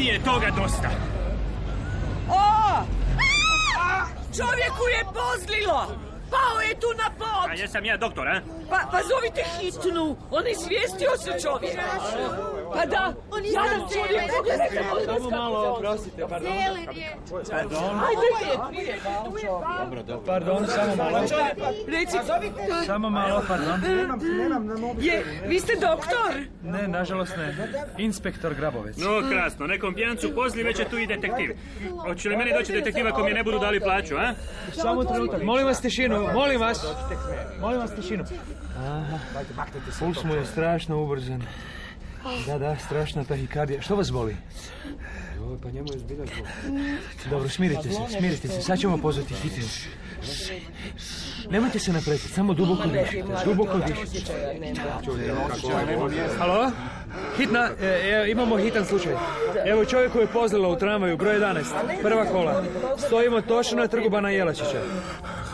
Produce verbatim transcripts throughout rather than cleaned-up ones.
Meni je toga dosta. O! Čovjeku je pozlilo! Pao je tu na pod! A jesam ja doktor, a? Pa, pa zovite hitnu! On izvijestio se čovjek! Pa da, jadan čovjek, pogledajte, Samo malo, oprostite, pardon. Pardon. Ajde, prije, Dobro, dobro. Pardon, samo malo. Reci, Samo malo, pardon. je, vi ste doktor? Ne, nažalost ne. Inspektor Grabovec. No, krasno, nekom pijancu pozli, već je tu i detektiv. Hoće li meni doći detektiva ako mi ne budu dali plaću, a? Samo trenutak, molim vas tišinu, molim vas. Molim vas tišinu. Aha, puls mu je strašno ubrzan. Da, da, strašna tahikardija. Što vas boli? Pa njemu je zbilja zbog. Dobro, smirite se, smirite se. Sad ćemo pozvati hitnu. Nemojte se napretiti, samo duboko dišite. Duboko dišite. Halo? Hitna, e, e, imamo hitan slučaj. Evo čovjeku je pozlilo u tramvaju, broj jedanaest, prva kola. Stojimo točno na trgu Bana Jelačića.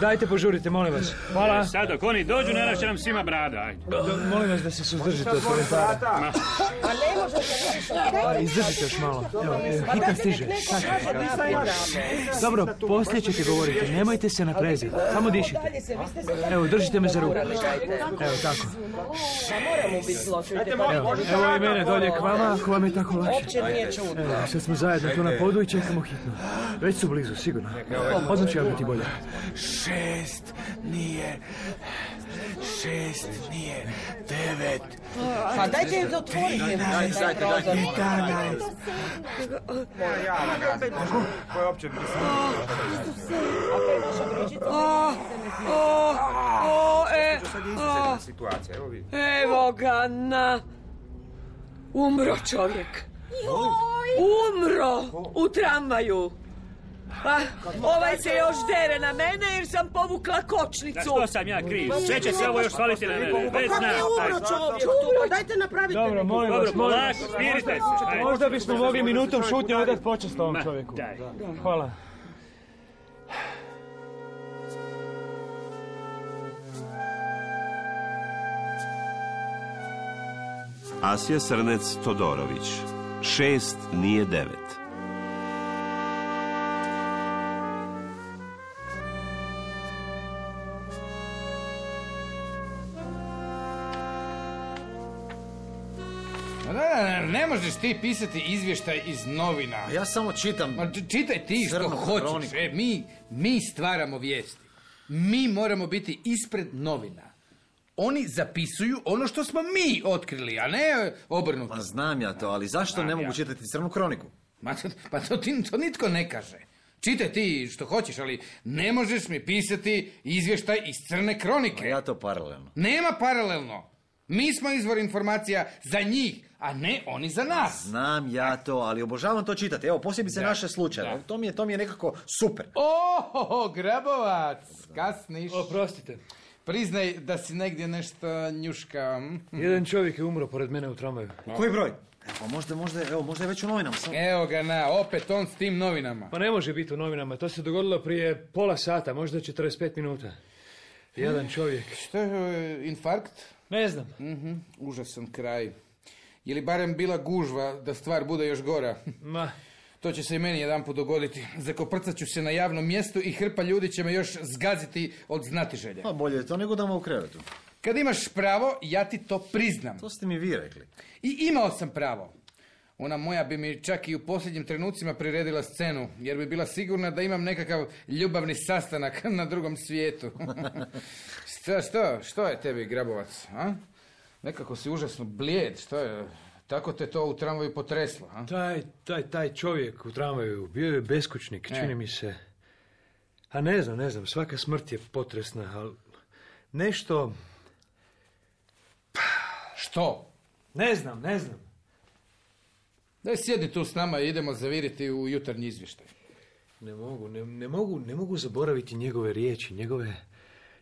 Dajte, požurite, molim vas. Hvala. Sad dok oni dođu, naravno će nam svima brada, ajde. Do, molim vas da se suzdržite od komentara. A, izdržite još malo. Evo, evo, hitan stiže. Dobro, poslije ćete govoriti. Nemojte se napreziti. Samo dišite. Evo, držite me za ruku. Evo, tako. Evo, evo i mene dolje k vama, ako vam je tako lakše. Evo, sad smo zajedno tu na podu i čekamo hitno. Već su blizu, sigurno. Odmah će vam biti bolje. Šest nije, šest nije, devet. Pa dajte da otvorite. Jedanaest, jedanaest. Koje opće O, o, o, e, o. situacija, evo vi. Evo ga na... Umro čovjek. Umro u tramvaju. Pa, ovaj se još dere na mene jer sam povukla kočnicu. Da, što sam ja kriv? Sve će se ovo još svaliti na mene. Već znam. Umro čovjek tu, pa dajte napravite. Dobro, molim vas, Dobro, molim polako, vas. smirite se. Ajde. Možda bismo mogli minutom šutnje odati počast ovom Ma, čovjeku. daj. Hvala. Asja Srnec Todorović. Šest nije devet. Ne, ne, ne možeš ti pisati izvještaj iz novina. Ja samo čitam. Ma, č- čitaj ti što Crnu hoćeš. kroniku. E, mi, mi stvaramo vijesti. Mi moramo biti ispred novina. Oni zapisuju ono što smo mi otkrili, a ne obrnuto. Pa znam ja to, ali zašto ne mogu čitati Crnu kroniku? Ma, to, pa to, ti, to nitko ne kaže. Čitaj ti što hoćeš, ali ne možeš mi pisati izvještaj iz Crne kronike. Pa ja to paralelno. Nema paralelno. Mi smo izvor informacija za njih, a ne oni za nas. Znam ja to, ali obožavam to čitati. Evo, posebice Da, naše slučaje. da. To mi je, to mi je nekako super. Ohoho, Grabovac, kasniš. Oprostite. Priznaj da si negdje nešto njuška. Jedan čovjek je umro pored mene u tramvaju. Koji broj? Evo, možda, možda, evo, možda je već u novinama. Samo... Evo ga na, opet on s tim novinama. Pa ne može biti u novinama. To se dogodilo prije pola sata, možda četrdeset pet minuta. Jedan čovjek. Što je, infarkt? Ne znam. Mhm, užasan kraj. Je li barem bila gužva da stvar bude još gora? Ma, To će se i meni jedanput dogoditi. Zakoprcat ću se na javnom mjestu i hrpa ljudi će me još zgaziti od znatiželja. Pa bolje je to nego dama u krevetu. Kad imaš pravo, ja ti to priznam. To ste mi vi rekli. I imao sam pravo. Ona moja bi mi čak i u posljednjim trenucima priredila scenu, jer bi bila sigurna da imam nekakav ljubavni sastanak na drugom svijetu. Što, što, što je tebi, Grabovac? A? Nekako si užasno blijed, što je? Tako te to u tramvaju potreslo, a? taj, taj, taj čovjek u tramvaju bio je beskućnik, čini E. mi se. A ne znam, ne znam, svaka smrt je potresna, ali nešto... Što? Ne znam, ne znam. Daj sjedi tu s nama i idemo zaviriti u jutarnji izvještaj. Ne mogu, ne, ne mogu, ne mogu zaboraviti njegove riječi, njegove,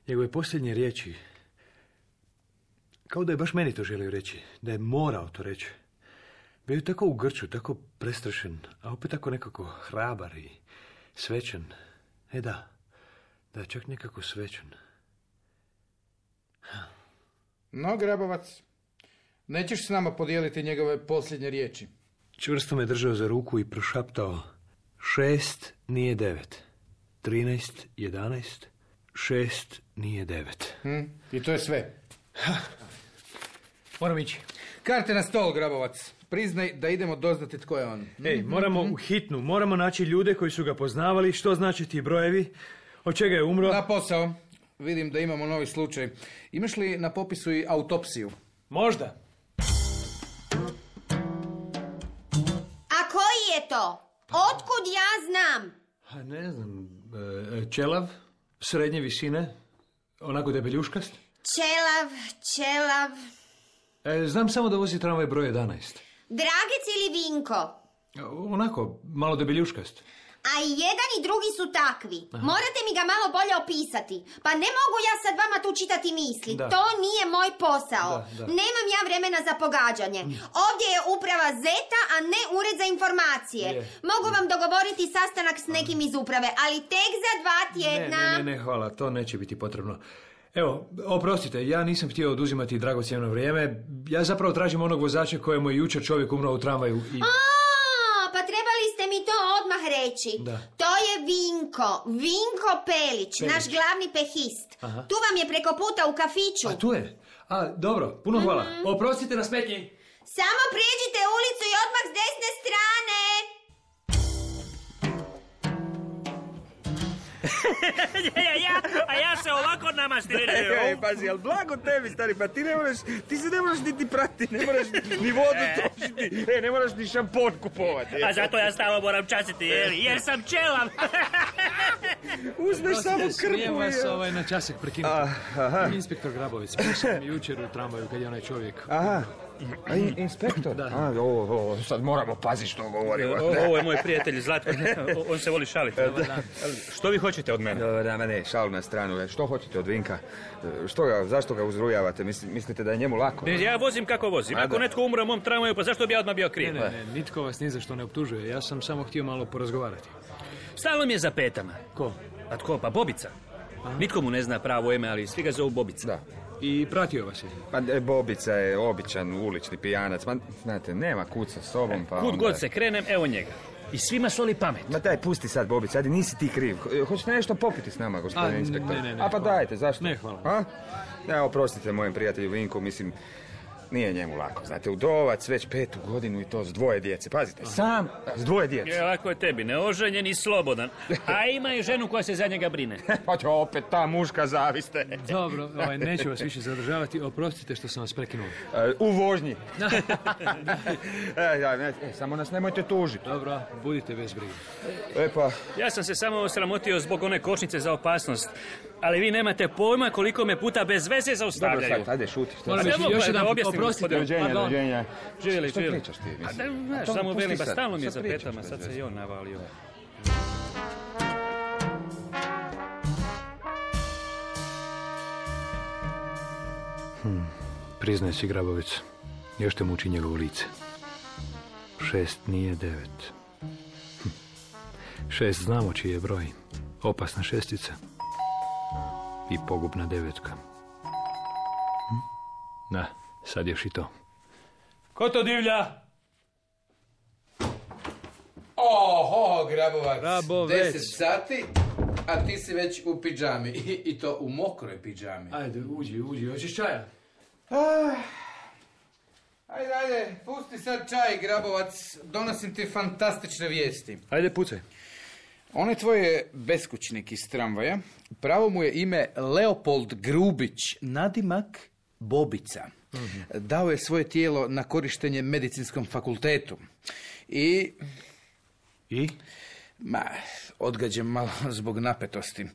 njegove posljednje riječi. Kao da je baš meni to želio reći, da je morao to reći. Bio je tako u grču, tako prestrašen, a opet tako nekako hrabar i svečan. E da, da, čak nekako svečan. No, Grabovac, nećeš s nama podijeliti njegove posljednje riječi? Čvrsto me držao za ruku i prošaptao: šest nije devet. Trinaest, jedanaest, šest nije devet. Hm? I to je sve. Moram ići. Karte na stol, Grabovac. Priznaj da idemo doznati tko je on. Ej, moramo u hitnu, moramo naći ljude koji su ga poznavali, što znači ti brojevi, od čega je umro. Na posao. Vidim da imamo novi slučaj. Imaš li na popisu i autopsiju? Možda. A koji je to? Otkud ja znam? A ne znam, e, čelav, srednje visine, onako debeljuškast. Čelav, čelav. E, znam samo da vozi tramvaj broj jedanaest. Dragec ili Vinko? Onako, malo debeljuškast. A i jedan i drugi su takvi. Aha. Morate mi ga malo bolje opisati. Pa ne mogu ja sad vama tu čitati misli. Da. To nije moj posao. Da, da. Nemam ja vremena za pogađanje. Ovdje je uprava Zeta, a ne ured za informacije. Je. Mogu vam dogovoriti sastanak s nekim iz uprave, ali tek za dva tjedna. Ne, ne, ne, ne, hvala. To neće biti potrebno. Evo, oprostite, ja nisam htio oduzimati dragocjeno vrijeme. Ja zapravo tražim onog vozača kojemu je jučer čovjek umro u tramvaju i... A, pa trebali ste mi to odmah reći. Da. To je Vinko, Vinko Pelić, Pelić. Naš glavni pehist. Aha. Tu vam je preko puta u kafiću. A tu je? A, dobro, puno hvala. Mm-hmm. Oprostite na smetnji. Samo prijeđite ulicu i odmah s desne strane. ja, ja, a ja se ovako namastiraju. Ej, pazi, ali blago tebi, stari, pa ti ne moraš, ti se ne moraš niti prati, ne moraš ni vodu trošiti, e, ne moraš ni šampon kupovati. A zato ja stalno moram častiti, jer, jer sam čelav. Uzmeš samo krpu. Smijem vas ovaj, na časak prekinuti. Ah, inspektor Grabović, pričao mi jučer u tramvaju kad je onaj čovjek. Aha. A in, inspektor? Da. A, ovo, ovo, sad moramo paziti što govorimo. O, ovo je moj prijatelj Zlatko, on se voli šaliti. Što vi hoćete od mene? Da, da, ne, šalu na stranu. Što hoćete od Vinka? Što ga, zašto ga uzrujavate? Mislite da je njemu lako? Ne, ja vozim kako vozim. Ako netko umre u mom tramvaju, pa zašto bi ja odmah bio kriv? Ne, ne, ne, nitko vas ni za što ne optužuje. Ja sam samo htio malo porazgovarati. Stalno mi je za petama. Ko? A tko? Pa Bobica. Aha. Nitko mu ne zna pravo ime, ali svi ga zovu Bobica. Da. I pratio vas je. Pa Bobica je običan ulični pijanac. Ma, znate, nema kud sa sobom, pa kud onda... god se krenem, evo njega. I svima soli pamet. Ma daj, pusti sad, Bobica, ajde, nisi ti kriv. Hoćete nešto popiti s nama, gospodine inspektor? Ne, ne, ne. A pa dajte, zašto? Ne, hvala. A? Ja, oprostite mojem prijatelju Vinku, mislim... Nije njemu lako, znate, udovac već petu godinu i to s dvoje djece. Pazite, sam s dvoje djece. Je, lako je tebi, neoženjen i slobodan. A ima i ženu koja se za njega brine. Pa će opet ta muška zaviste. Dobro, ovaj, neću vas više zadržavati. Oprostite što sam vas prekinuo. E, u vožnji. e, ja, ne, e, samo nas nemojte tužiti. Dobro, budite bez brige. E pa... Ja sam se samo osramotio zbog one kočnice za opasnost. Ali vi nemate pojma koliko me puta bez veze zaustavljaju. Dobro, sad, ajde, šuti. Molim, još jedan put, oprostite. Doviđenja, doviđenja. Živjeli, što živjeli. pričaš ti, mislim? A da, znaš, samo velim, ba stalno mi je za petama, sad se i on navalio. Hmm, priznaj si, Grabović, još te muči njegovo lice. Šest nije devet. Hm. Šest znamo čiji je broj. Opasna šestica. I pogubna devetka. Hm? Da, sad još i to. Ko to divlja? Oho, Grabovac. Grabovec. Deset sati, a ti si već u pidžami. I, i to u mokroj pidžami. Ajde, uđi, uđi. Hoćeš čaja? Ah, ajde, ajde, pusti sad čaj, Grabovac. Donosim ti fantastične vijesti. Ajde, pucaj. On je tvoj beskućnik iz tramvaja. Pravo mu je ime Leopold Grubić, nadimak Bobica. Mm-hmm. Dao je svoje tijelo na korištenje medicinskom fakultetu. I... I? Ma, odgađam malo zbog napetosti.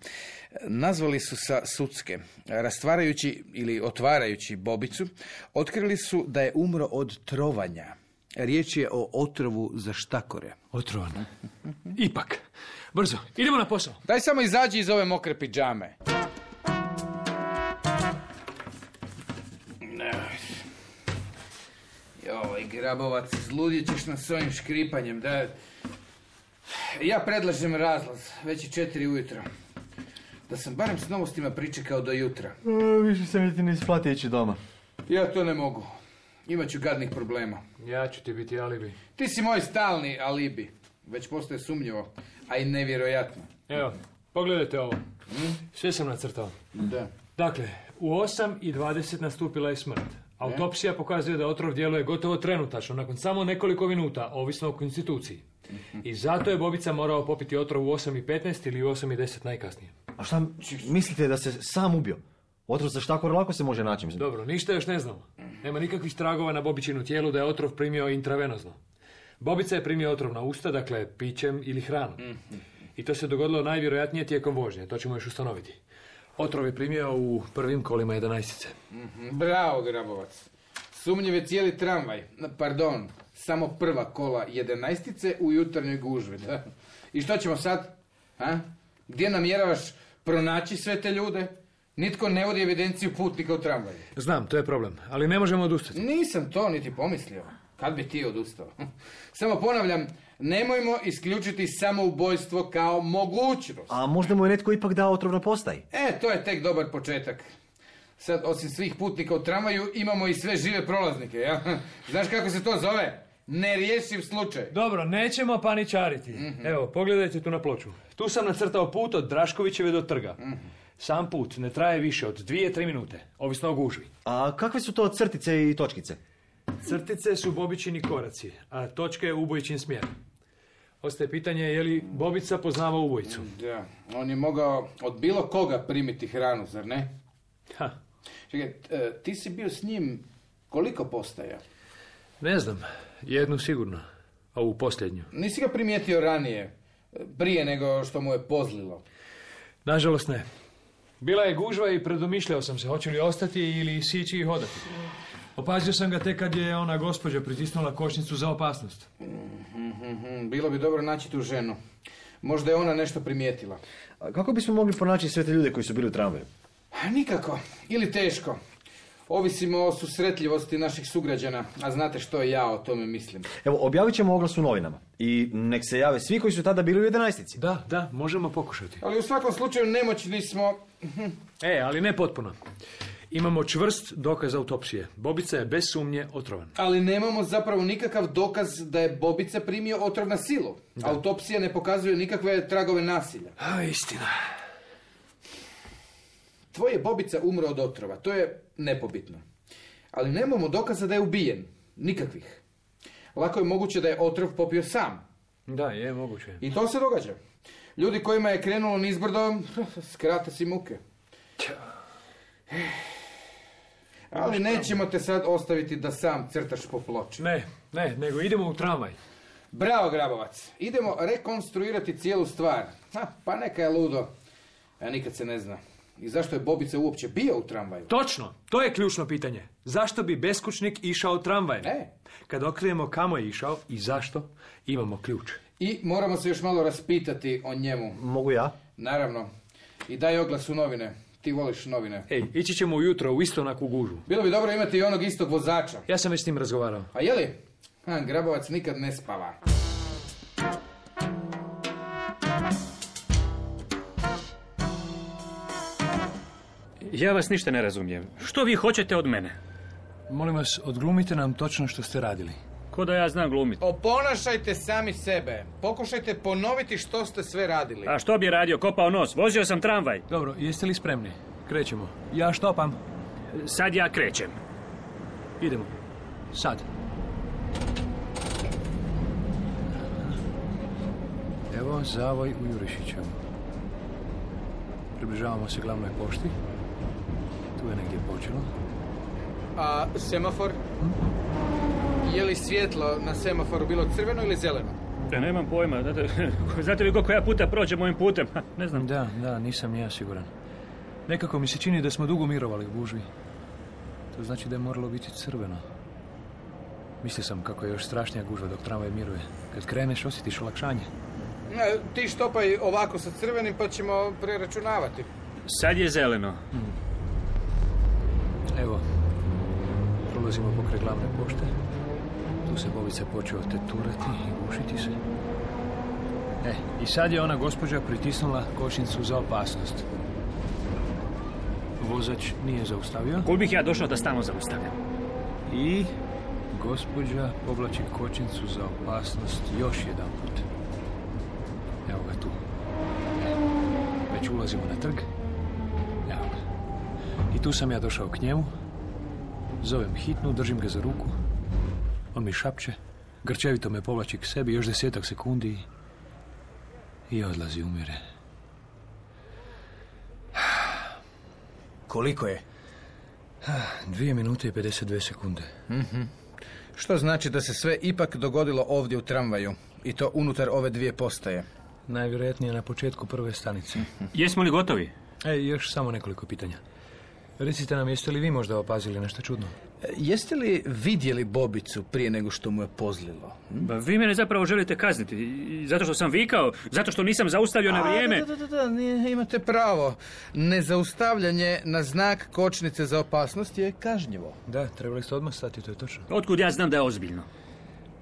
Nazvali su sa sudske. Rastvarajući ili otvarajući Bobicu, otkrili su da je umro od trovanja. Riječ je o otrovu za štakore. Otrovan. Ipak. Brzo, idemo na posao. Daj samo izađi iz ove mokre pidžame. Joj, Grabovac, zludit ćeš nas s ovim škripanjem. Da... Ja predlažem razlaz. Već je četiri ujutro. Da sam barem s novostima pričekao do jutra. E, više se mi ti ne isplati ići doma. Ja to ne mogu. Imaću gadnih problema. Ja ću ti biti alibi. Ti si moj stalni alibi. Već postaje sumnjivo, a i nevjerojatno. Evo, pogledajte ovo. Sve sam nacrtao. Da. Dakle, u osam i dvadeset nastupila je smrt. Autopsija pokazuje da otrov djeluje gotovo trenutačno, nakon samo nekoliko minuta, ovisno o konstituciji. I zato je Bobica morao popiti otrov u osam i petnaest ili u osam i deset najkasnije. A šta mislite da se sam ubio? Otrov za štakor lako se može naći. Dobro, ništa još ne znamo. Nema nikakvih tragova na Bobičinu tijelu da je otrov primio intravenozno. Bobica je primio otrov na usta, dakle pićem ili hranom. I to se dogodilo najvjerojatnije tijekom vožnje, to ćemo još ustanoviti. Otrov je primio u prvim kolima jedanaestice. Bravo, Grabovac. Sumnjiv je cijeli tramvaj. Pardon, samo prva kola jedanaestice u jutarnjoj gužvi. Da? I što ćemo sad? Ha? Gdje namjeravaš pronaći sve te ljude? Nitko ne vodi evidenciju putnika u tramvaju. Znam, to je problem, ali ne možemo odustati. Nisam to niti pomislio. Kad bi ti odustao? Samo ponavljam, nemojmo isključiti samoubojstvo kao mogućnost. A možda mu je netko ipak dao otrov na postaji? E, to je tek dobar početak. Sad, osim svih putnika u tramvaju, imamo i sve žive prolaznike, ja? Znaš kako se to zove? Nerješiv slučaj. Dobro, nećemo paničariti. Mm-hmm. Evo, pogledajte tu na ploču. Tu sam nacrtao put od Draškovićeve do trga. Mm-hmm. Sam put ne traje više od dvije, tri minute, ovisno o gužvi. A kakve su to crtice i točkice? Crtice su Bobičini koraci, a točke je ubojičin smjer. Ostaje pitanje je li Bobica poznava ubojicu. Da, on je mogao od bilo koga primiti hranu, zar ne? Ha. Čekaj, ti si bio s njim koliko postaja? Ne znam, jednu sigurno, ovu posljednju. Nisi ga primijetio ranije, prije nego što mu je pozlilo? Nažalost ne. Bila je gužva i predomišljao sam se hoće li ostati ili sići i hodati. Opazio sam ga tek kad je ona gospođa pritisnula kočnicu za opasnost. Mm-hmm. Bilo bi dobro naći tu ženu. Možda je ona nešto primijetila. A kako bismo mogli pronaći sve te ljude koji su bili u tramvaju? Nikako. Ili teško. Ovisimo o susretljivosti naših sugrađana, a znate što ja o tome mislim. Evo, objavit ćemo oglas u novinama. I nek se jave svi koji su tada bili u jedanaestici. Da, da, možemo pokušati. Ali u svakom slučaju nemoćni smo... E, ali ne potpuno. Imamo čvrst dokaz autopsije. Bobica je bez sumnje otrovan. Ali nemamo zapravo nikakav dokaz da je Bobica primio otrov na silu. Da. Autopsija ne pokazuje nikakve tragove nasilja. A, istina. Tvoj je Bobica umro od otrova, to je nepobitno. Ali nemamo dokaza da je ubijen. Nikakvih. Lako je moguće da je otrov popio sam. Da, je moguće. I to se događa. Ljudi kojima je krenulo nizbrdo, skrate si muke. Ali nećemo te sad ostaviti da sam crtaš po ploči. Ne, ne, nego idemo u tramvaj. Bravo, Grabovac. Idemo rekonstruirati cijelu stvar. Ha, pa neka je ludo. A nikad se ne zna. I zašto je Bobica uopće bio u tramvaju? Točno, to je ključno pitanje. Zašto bi beskućnik išao tramvajem? E. Kad otkrijemo kamo je išao i zašto, imamo ključ. I moramo se još malo raspitati o njemu. Mogu ja? Naravno. I daj oglas u novine. Ti voliš novine. Ej, ići ćemo ujutro u isto onakvu gužu. Bilo bi dobro imati i onog istog vozača. Ja sam već s njim razgovarao. A je li? Ha, Grabovac nikad ne spava. Ja vas ništa ne razumijem. Što vi hoćete od mene? Molim vas, odglumite nam točno što ste radili. Ko da ja znam glumiti? Oponašajte sami sebe. Pokušajte ponoviti što ste sve radili. A što bi radio? Kopao nos. Vozio sam tramvaj. Dobro, jeste li spremni? Krećemo. Ja štopam. Sad ja krećem. Idemo. Sad. Evo zavoj u Jurišićevu. Približavamo se glavnoj pošti. Tu je negdje počelo. A semafor? Hm? Je li svjetlo na semaforu bilo crveno ili zeleno? Da, nemam pojma. Znate, znate li koliko ja puta prođem ovim putem? Ne znam. Da, da, nisam ja siguran. Nekako mi se čini da smo dugo mirovali u gužvi. To znači da je moralo biti crveno. Mislio sam kako je još strašnija gužva dok tramvaj miruje. Kad kreneš osjetiš olakšanje. Ne, ti štopaj ovako sa crvenim pa ćemo preračunavati. Sad je zeleno. Hmm. Evo, prolazimo pokraj glavne pošte. Tu se Bobica počeo teturati i gušiti se. E, i sad je ona gospođa pritisnula kočnicu za opasnost. Vozač nije zaustavio. Kud bih ja došao da stalno zaustavljam? I gospođa povlači kočnicu za opasnost još jedan put. Evo ga tu. Već ulazimo na trg. Evo ga. I tu sam ja došao k njemu. Zovem hitnu, držim ga za ruku. On mi šapće. Grčevito me povlači k sebi još desetak sekundi i odlazi, umire. Koliko je? Dvije minute i pedeset dvije sekunde. Mm-hmm. Što znači da se sve ipak dogodilo ovdje u tramvaju i to unutar ove dvije postaje? Najvjerojatnije na početku prve stanice. Mm-hmm. Jesmo li gotovi? E, još samo nekoliko pitanja. Recite nam, jeste li vi možda opazili nešto čudno? E, jeste li vidjeli Bobicu prije nego što mu je pozlilo? Hm? Ba, vi mene zapravo želite kazniti. Zato što sam vikao, zato što nisam zaustavio na vrijeme. A, da, da, da, nije, imate pravo. Nezaustavljanje na znak kočnice za opasnost je kažnjivo. Da, trebali ste odmah stati, to je točno. Otkud ja znam da je ozbiljno?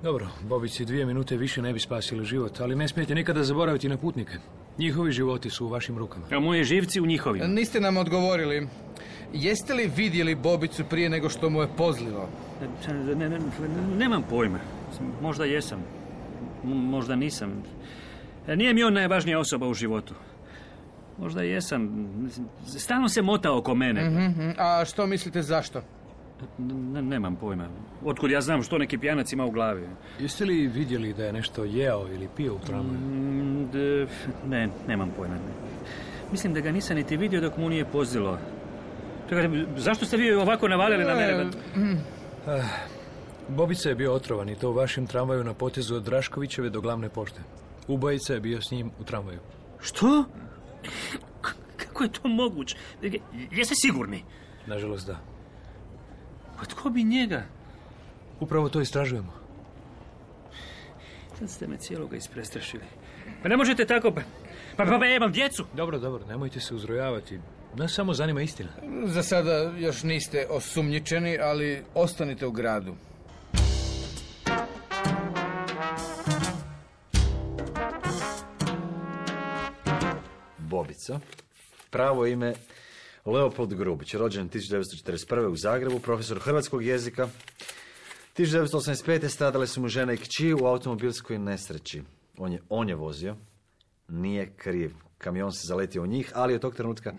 Dobro, Bobici dvije minute više ne bi spasili život, ali ne smijete nikada zaboraviti na putnike. Njihovi životi su u vašim rukama. A moje živci u njihovim. Niste nam odgovorili. Jeste li vidjeli Bobicu prije nego što mu je pozlilo? Ne, ne, ne, nemam pojma. Možda jesam. Možda nisam. Nije mi on najvažnija osoba u životu. Možda jesam. Stalno se mota oko mene. Mm-hmm. A što mislite zašto? Ne, nemam pojma. Otkud ja znam što neki pijanac ima u glavi. Jeste li vidjeli da je nešto jeo ili pio u tramvaju? Mm, ne, nemam pojma. Mislim da ga nisam niti vidio dok mu nije pozlilo. Čekajte, zašto ste vi ovako navalili na mene? Uh, Bobica je bio otrovan i to u vašem tramvaju na potezu od Draškovićeve do glavne pošte. Ubojica je bio s njim u tramvaju. Što? K- kako je to moguće? Jeste sigurni? Nažalost, da. Pa tko bi njega? Upravo to istražujemo. Sad ste me cijeloga isprestrašili. Pa ne možete tako... Pa, pa, pa, pa ja imam djecu. Dobro, dobro, nemojte se uzrojavati. Nas samo zanima istina. Za sada još niste osumnjičeni, ali ostanite u gradu. Bobica. Pravo ime Leopold Grubić, rođen tisuću devetsto četrdeset prve. u Zagrebu, profesor hrvatskog jezika. tisuću devetsto osamdeset pete. stradale su mu žena i kći u automobilskoj nesreći. On je, on je vozio, nije kriv. Kamion se zaletio u njih, ali od tog trenutka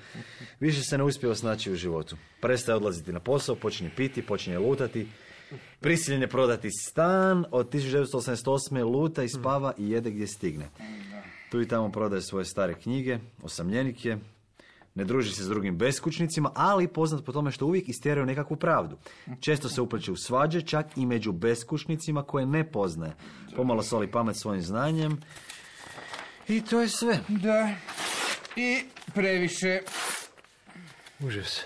više se ne uspio snaći u životu. Prestaje odlaziti na posao, počinje piti, počinje lutati. Prisiljen je prodati stan. Od tisuću devetsto osamdeset osme. luta i spava i jede gdje stigne. Tu i tamo prodaje svoje stare knjige, osamljenik je, ne druži se s drugim beskućnicima, ali poznat po tome što uvijek istjeraju nekakvu pravdu. Često se upliče u svađe, čak i među beskućnicima koje ne poznaje. Pomalo soli pamet svojim znanjem. I to je sve. Da. I previše. Užas.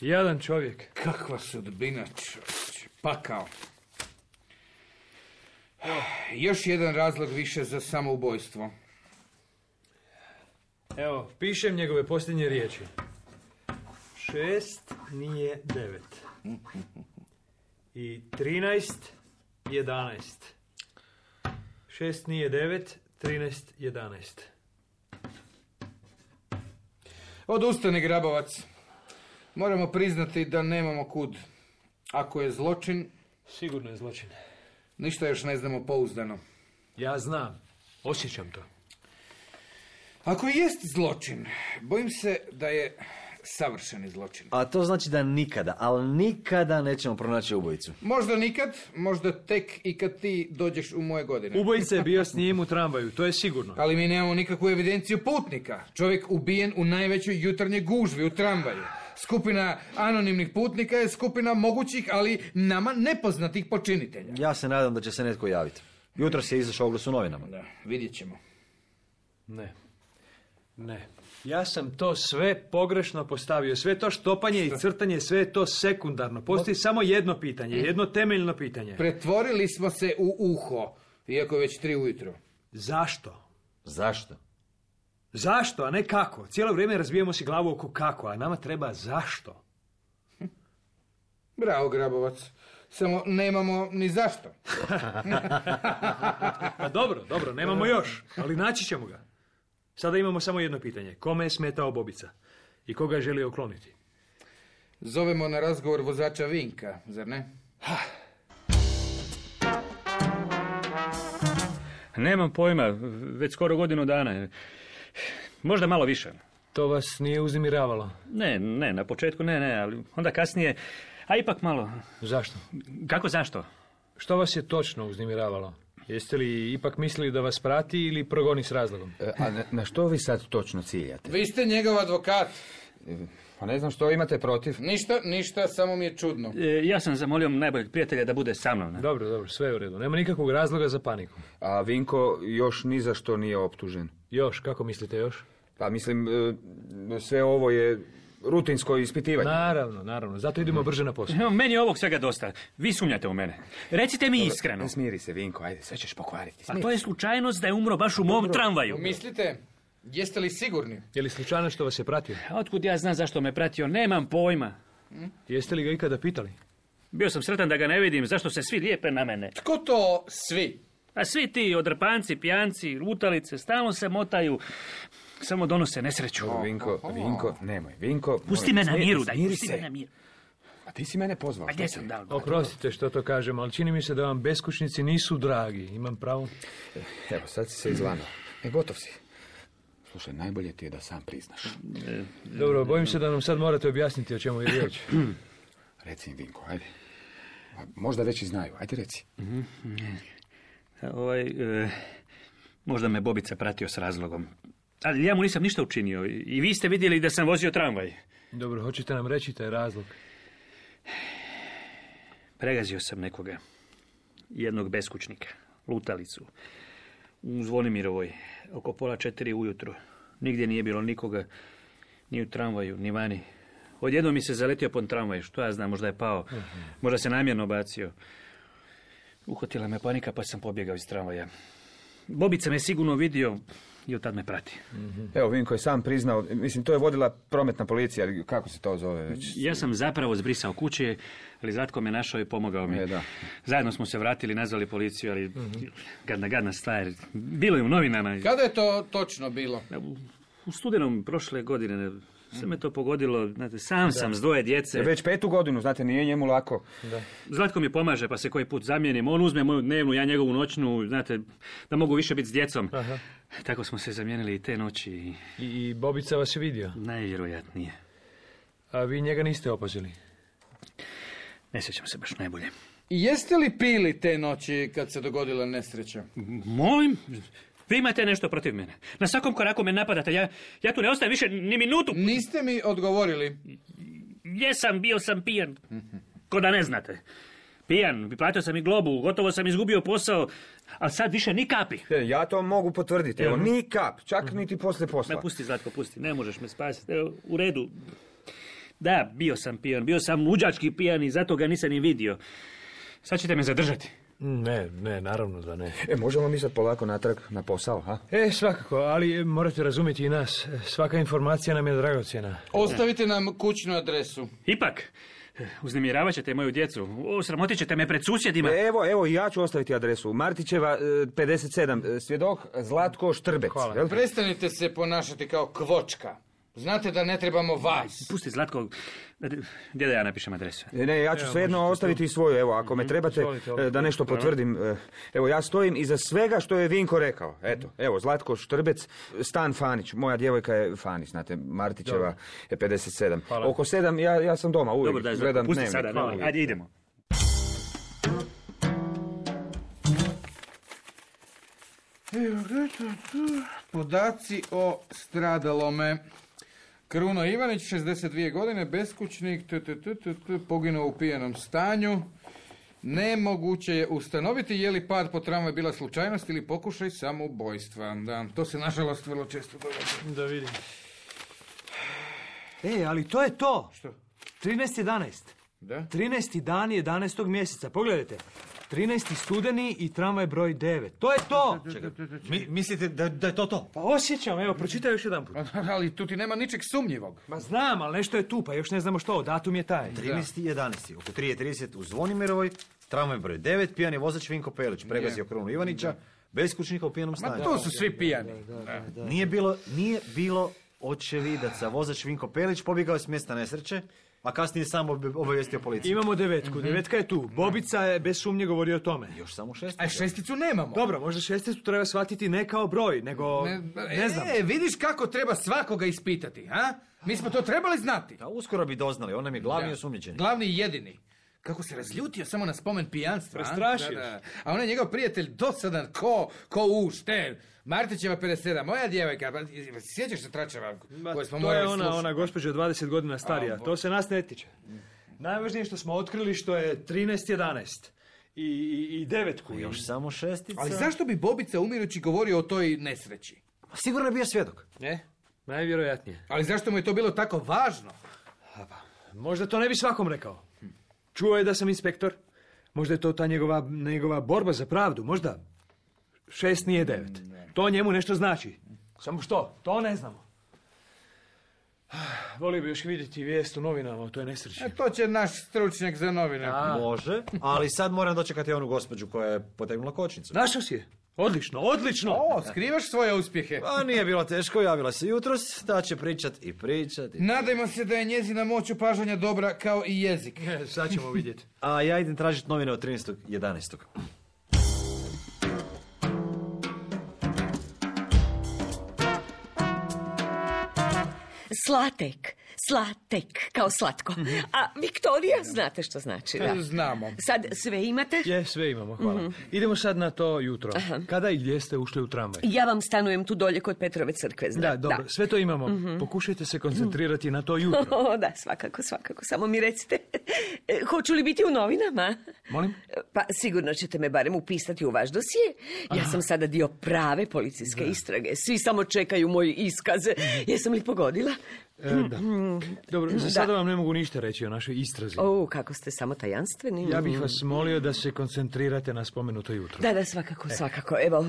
Jadan čovjek. Kakva sudbina, čovječe. Pakao. Još jedan razlog više za samoubojstvo. Evo, pišem njegove posljednje riječi. Šest nije devet. I trinaest, jedanaest. Šest nije devet, trinaest, jedanaest. Odustani, Grabovac. Moramo priznati da nemamo kud. Ako je zločin... Sigurno je zločin. Ništa još ne znamo pouzdano. Ja znam. Osjećam to. Ako jest zločin, bojim se da je savršeni zločin. A to znači da nikada, ali nikada nećemo pronaći ubojicu. Možda nikad, možda tek i kad ti dođeš u moje godine. Ubojica je bio s njim u tramvaju, to je sigurno. Ali mi nemamo nikakvu evidenciju putnika. Čovjek ubijen u najvećoj jutarnjoj gužvi u tramvaju. Skupina anonimnih putnika je skupina mogućih, ali nama nepoznatih počinitelja. Ja se nadam da će se netko javiti. Jutros je izašao oglas u novinama. Da, vidjet ćemo. Ne. Ne. Ja sam to sve pogrešno postavio. Sve to štopanje i crtanje, sve je to sekundarno. Postoji samo jedno pitanje, jedno temeljno pitanje. Pretvorili smo se u uho, iako je već tri ujutro. Zašto? Zašto? Zašto, a ne kako? Cijelo vrijeme razbijemo si glavu oko kako, a nama treba zašto. Bravo, Grabovac. Samo nemamo ni zašto. Pa dobro, dobro, nemamo još, ali naći ćemo ga. Sada imamo samo jedno pitanje. Kome je smetao Bobica? I koga je želio ukloniti? Zovemo na razgovor vozača Vinka, zar ne? Nemam pojma, već skoro godinu dana. Možda malo više. To vas nije uznemiravalo? Ne, ne, na početku ne, ne, ali onda kasnije, a ipak malo. Zašto? Kako zašto? Što vas je točno uznemiravalo? Jeste li ipak mislili da vas prati ili progoni s razlogom? E, a na, na što vi sad točno ciljate? Vi ste njegov advokat. E, pa ne znam što imate protiv. Ništa, ništa, samo mi je čudno. E, ja sam zamolio najboljeg prijatelja da bude sa mnom. Ne? Dobro, dobro, sve je u redu. Nema nikakvog razloga za paniku. A Vinko još ni za što nije optužen. Još, kako mislite još? Pa mislim, e, sve ovo je rutinsko ispitivanje. Naravno, naravno. Zato idemo brže na posao. No, meni je ovog svega dosta. Vi sumnjate u mene. Recite mi iskreno. Smiri se, Vinko, ajde, sve ćeš pokvariti. A to je slučajnost da je umro baš u mom Dobro. tramvaju. Mislite, jeste li sigurni? Je li slučajno što vas je pratio? A otkud ja znam zašto me pratio? Nemam pojma. Hm? Jeste li ga ikada pitali? Bio sam sretan da ga ne vidim. Zašto se svi lijepe na mene? Tko to svi? A svi ti odrpanci, pijanci, lutalice, stalno se motaju. Samo donose nesreću. Dobro, Vinko, Vinko, nemoj. Vinko, pusti me na miru, daj, smiri pusti se. me na miru. A ti si mene pozvao. A gdje sam dao? Oprostite što to kažem, ali čini mi se da vam beskućnici nisu dragi. Imam pravo? Evo, sad si se izlanao. E, gotov si. Slušaj, najbolje ti je da sam priznaš. Dobro, bojim se da nam sad morate objasniti o čemu je riječ. Reci im, Vinko, ajde. A možda već i znaju, ajde reci. Ovaj, e, možda me Bobica pratio s razlogom. Ali ja mu nisam ništa učinio. I vi ste vidjeli da sam vozio tramvaj. Dobro, hoćete nam reći taj razlog? Pregazio sam nekoga. Jednog beskućnika. Lutalicu. U Zvonimirovoj. Oko pola četiri ujutro. Nigdje nije bilo nikoga. Ni u tramvaju, ni vani. Odjednom mi se zaletio pon tramvaj. Što ja znam, možda je pao. Možda se namjerno bacio. Uhvatila me panika pa sam pobjegao iz tramvaja. Bobica me sigurno vidio i od tad me prati. Mm-hmm. Evo, Vinko je sam priznao, mislim, to je vodila prometna policija, ali kako se to zove već? Ja sam zapravo zbrisao kuće, ali Zlatko me našao i pomogao mi. E, da. Zajedno smo se vratili, nazvali policiju, ali mm-hmm. gadna, gadna stvar. Bilo je u novinama. Kada je to točno bilo? U, u studenom prošle godine. Sve me to pogodilo, znate, sam da. sam s dvoje djece. Je već petu godinu, znate, nije njemu lako. Da. Zlatko mi pomaže, pa se koji put zamijenim. On uzme moju dnevnu, ja njegovu noćnu, znate, da mogu više biti s djecom. Aha. Tako smo se zamijenili i te noći. I, i Bobica vas je vidio? Najvjerojatnije. A vi njega niste opazili? Ne sjećam se baš najbolje. I jeste li pili te noći kad se dogodila nesreća? Molim? Vi imate nešto protiv mene. Na svakom koraku me napadate. Ja, ja tu ne ostajem više ni minutu. Niste mi odgovorili. Jesam, bio sam pijan. Ko da ne znate. Pijan, platio sam i globu, gotovo sam izgubio posao, ali sad više ni kapi. E, ja to mogu potvrditi. Evo, ni kap, čak niti poslije posla. Me pusti, Zlatko, pusti. Ne možeš me spasiti. Evo, u redu. Da, bio sam pijan. Bio sam luđački pijan i zato ga nisam ni vidio. Sad ćete me zadržati. Ne, ne, naravno da ne. E, možemo mi sad polako natrag na posao, ha? E, svakako, ali morate razumjeti i nas. Svaka informacija nam je dragocjena. Ostavite nam kućnu adresu. Ipak, uznemiravat ćete moju djecu. Osramotit ćete me pred susjedima. Evo, evo, ja ću ostaviti adresu. Martićeva, pedeset sedam, svjedok Zlatko Štrbec. Hvala. Jel? Prestanite se ponašati kao kvočka. Znate da ne trebamo vas. Pusti, Zlatko. Gdje da ja napišem adresu? Ne, ne, ja ću Evo, svejedno ostaviti i svoju. Evo, ako me trebate da nešto potvrdim. Evo, ja stojim iza svega što je Vinko rekao. Eto, evo, Zlatko Štrbec, stan Fanić. Moja djevojka je Fanić, znate, Martićeva je pedeset sedam. Hvala. Oko sedam, ja, ja sam doma, uvijek Dobro, daj, gledam pusti dnevnik. sada. Hvala. Ajde, idemo. Podaci o stradalome. Kruno Ivanić, šezdeset dvije godine, beskućnik, t, t, t, t, t, poginuo u pijanom stanju. Nemoguće je ustanoviti je li pad po tramvaju bila slučajnost ili pokušaj samoubojstva. Da, to se nažalost vrlo često događa. Da vidim. E, ali to je to. Što? trinaest jedanaest. Da? trinaesti dan jedanaestog mjeseca. Pogledajte. trinaesti studeni i tramvaj broj devet. To je to! Čekaj, mi, mislite da, da je to to? Pa osjećam, evo, pročitaj još jedan put. Ali tu ti nema ničeg sumnjivog. Ma znam, ali nešto je tu, pa još ne znamo što, datum je taj. trinaesti jedanaesti oko tri trideset u Zvonimirovoj, tramvaj broj devet, pijani vozač Vinko Pelić, pregazio Krunu Ivanića, beskućnika u pijanom stanju. Ma tu su svi pijani. Da, da, da. Nije bilo, nije bilo očevidaca. Vozač Vinko Pelić pobjegao s mjesta nesreće a kasnije sam ob- obavijestio policiju. Imamo devetku, mm-hmm. devetka je tu. Bobica je bez sumnje govorio o tome. Još samo šesticu. A šesticu nemamo. Dobro, možda šesticu treba shvatiti ne kao broj, nego ne, ne znam. E, vidiš kako treba svakoga ispitati, ha? Mi smo to trebali znati. A uskoro bi doznali, on nam je glavni Da. osumnjičeni. Glavni i jedini. Kako se razljutio samo na spomen pijanstva. Prestrašiš. Da, da. A on je njegov prijatelj dosadan ko, ko uš, te. Martićeva pedeset sedam, moja djevojka, pa, sjećaš se tračeva koje smo to morali je ona, slušati? ona gospođa dvadeset godina starija. A, to se nas ne tiče. Najvažnije što smo otkrili što je trinaest jedanaest. I, i, i devetku. Još samo šestica. Ali zašto bi Bobica umirući govorio o toj nesreći? Sigurno je bio svjedok. Ne, najvjerojatnije. Ali zašto mu je to bilo tako važno? Možda to ne bi svakom rekao. Čuo je da sam inspektor. Možda je to ta njegova, njegova borba za pravdu. Možda šest nije devet. To njemu nešto znači. Samo što? To ne znamo. Volio bi još vidjeti vijest u novinama o toj nesreći. E, to će naš stručnjak za novine. A. Može, ali sad moram dočekati onu gospođu koja je potegnula kočnicu. Našao si je? Odlično, odlično! O, skrivaš svoje uspjehe. A nije bilo teško, javila se jutros, da će pričat i pričat. I... Nadajmo se da je njezina moć opažanja dobra kao i jezik. E, sad ćemo vidjeti. A ja idem tražiti novine od trinaestog jedanaestog Slatek, slatek, kao slatko. A Viktorija, znate što znači, da? Znamo. Sad sve imate? Je, sve imamo, hvala. Mm-hmm. Idemo sad na to jutro. Aha. Kada i gdje ste ušli u tramvaj? Ja vam stanujem tu dolje kod Petrove crkve, zna. Da, dobro, da. Sve to imamo. Mm-hmm. Pokušajte se koncentrirati mm. na to jutro. O, da, svakako, svakako. Samo mi recite, hoću li biti u novinama? Molim? Pa sigurno ćete me barem upisati u vaš dosije. Ja Aha. sam sada dio prave policijske da. istrage. Svi samo čekaju moj iskaz. Mm-hmm. Jesam li pogodila? E, da. Dobro, za sada da. vam ne mogu ništa reći o našoj istrazi. O, kako ste samo tajanstveni. Ja bih vas molio da se koncentrirate na spomenuto jutro. Da, da, svakako, e. svakako. Evo,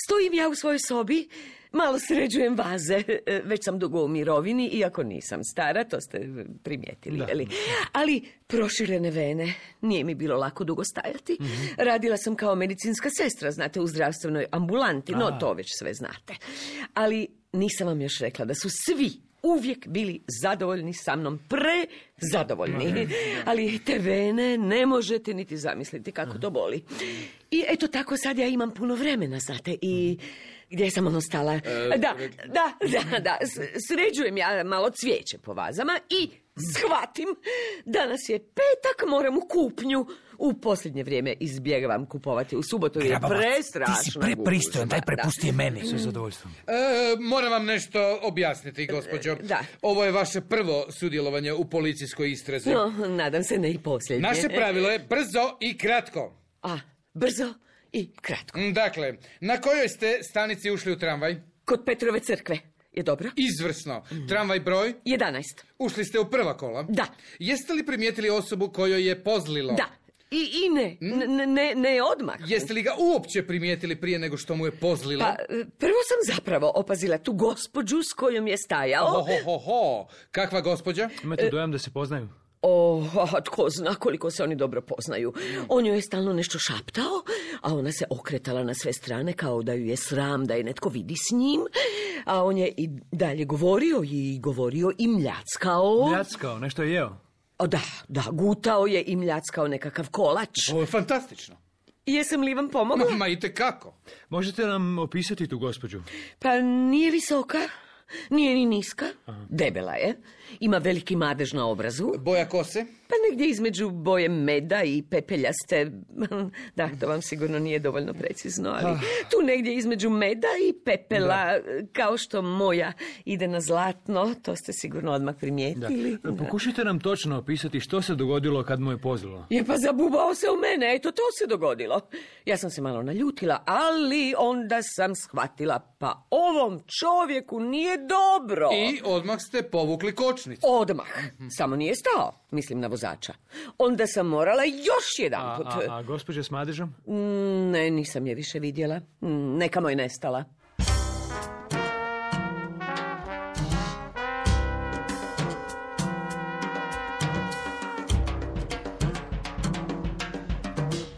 stojim ja u svojoj sobi, malo sređujem vaze. Već sam dugo u mirovini, iako nisam stara, to ste primijetili. Da. Ali, ali proširene vene, nije mi bilo lako dugo stajati. Mm-hmm. Radila sam kao medicinska sestra, znate, u zdravstvenoj ambulanti, no A. to već sve znate. Ali nisam vam još rekla da su svi uvijek bili zadovoljni sa mnom, prezadovoljni. Ali te vene ne možete niti zamisliti kako to boli. I eto tako sad ja imam puno vremena, znate, i gdje sam ono stala? Da, da, da, da, sređujem ja malo cvijeće po vazama i shvatim, danas je petak, moram u kupnju. U posljednje vrijeme izbjegavam kupovati u subotu, jer je prestrašno. Ti si prepristojan, daj prepusti je meni. Sa zadovoljstvom. E, moram vam nešto objasniti, gospođo. Da. Ovo je vaše prvo sudjelovanje u policijskoj istrazi. No, nadam se ne i posljednje. Naše pravilo je brzo i kratko. A, brzo i kratko. Dakle, na kojoj ste stanici ušli u tramvaj? Kod Petrove crkve. Je dobro? Izvrsno. Tramvaj broj? jedanaest. Ušli ste u prva kola? Da. Jeste li primijetili osobu kojoj je pozlilo? Da. I, i ne, ne, ne, ne odmah. Jeste li ga uopće primijetili prije nego što mu je pozlilo? Pa, prvo sam zapravo opazila tu gospođu s kojom je stajao. Ho, ho, ho, ho. Kakva gospođa? Imate dojam da se poznaju? O, a tko zna koliko se oni dobro poznaju. On joj je stalno nešto šaptao, a ona se okretala na sve strane kao da ju je sram da je netko vidi s njim. A on je i dalje govorio i govorio i mljackao. Mljackao, nešto je jeo? O, da, da, gutao je i mljackao nekakav kolač. Ovo je fantastično. Jesam li vam pomogla? Ma, ma i tekako. Možete nam opisati tu gospođu? Pa nije visoka, nije ni niska, Aha. debela je, ima veliki madež na obrazu. Boja kose? Pa negdje između boje meda i pepeljaste, da, to vam sigurno nije dovoljno precizno, ali tu negdje između meda i pepela, da. Kao što moja ide na zlatno, to ste sigurno odmah primijetili. Da. Pokušajte nam točno opisati što se dogodilo kad mu je pozlilo. Je pa zabubao se u mene, eto to se dogodilo. Ja sam se malo naljutila, ali onda sam shvatila, pa ovom čovjeku nije dobro. I odmah ste povukli kočnicu. Odmah, samo nije stao, mislim na vozača. Onda sam morala još jedan put. A, a, a gospođa s madežom? Ne, nisam je više vidjela. Nekamo je nestala.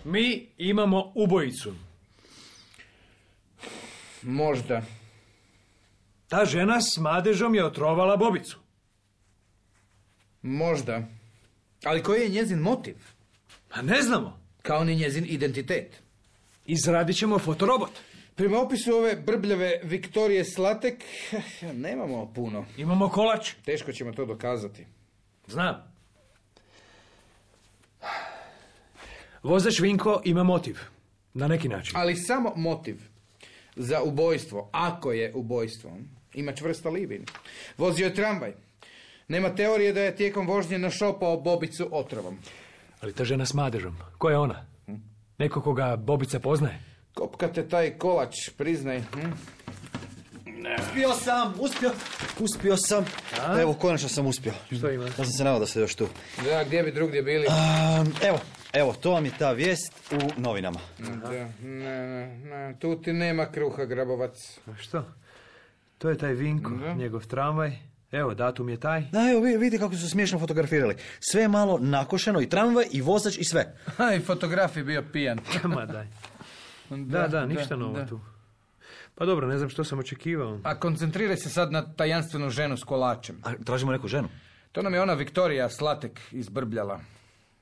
Mi imamo ubojicu. Možda. Ta žena s madežom je otrovala Bobicu. Možda. Ali koji je njezin motiv? A ne znamo. Kao ni njezin identitet. Izradit ćemo fotorobot. Prema opisu ove brbljave Viktorije Slatek, nemamo puno. Imamo kolač. Teško ćemo to dokazati. Znam. Vozač Vinko ima motiv. Na neki način. Ali samo motiv za ubojstvo, ako je ubojstvo, ima čvrst alibi. Vozio je tramvaj. Nema teorije da je tijekom vožnje našopao Bobicu otrovom. Ali ta žena s madežom, ko je ona? Neko koga Bobica poznaje? Kopkate taj kolač, priznaj. Hm? Uspio sam, uspio, uspio sam. A? Evo, konačno sam uspio. Što ima? Ja sam se nadao da ste još tu. Da, gdje bi drugdje bili? Um, evo, evo, to vam je ta vijest u novinama. Da, ne, ne, ne, tu ti nema kruha, Grabovac. A što? To je taj Vinko, da. Njegov tramvaj. Evo, datum je taj. Da, evo, vidite kako su smiješno fotografirali. Sve je malo nakošeno, i tramvaj, i vozač, i sve. A, i fotograf je bio pijan. Ma daj. Da, da, da ništa da, novo da. Tu. Pa dobro, ne znam što sam očekivao. A koncentriraj se sad na tajanstvenu ženu s kolačem. A tražimo neku ženu? To nam je ona Viktorija Slatek izbrbljala.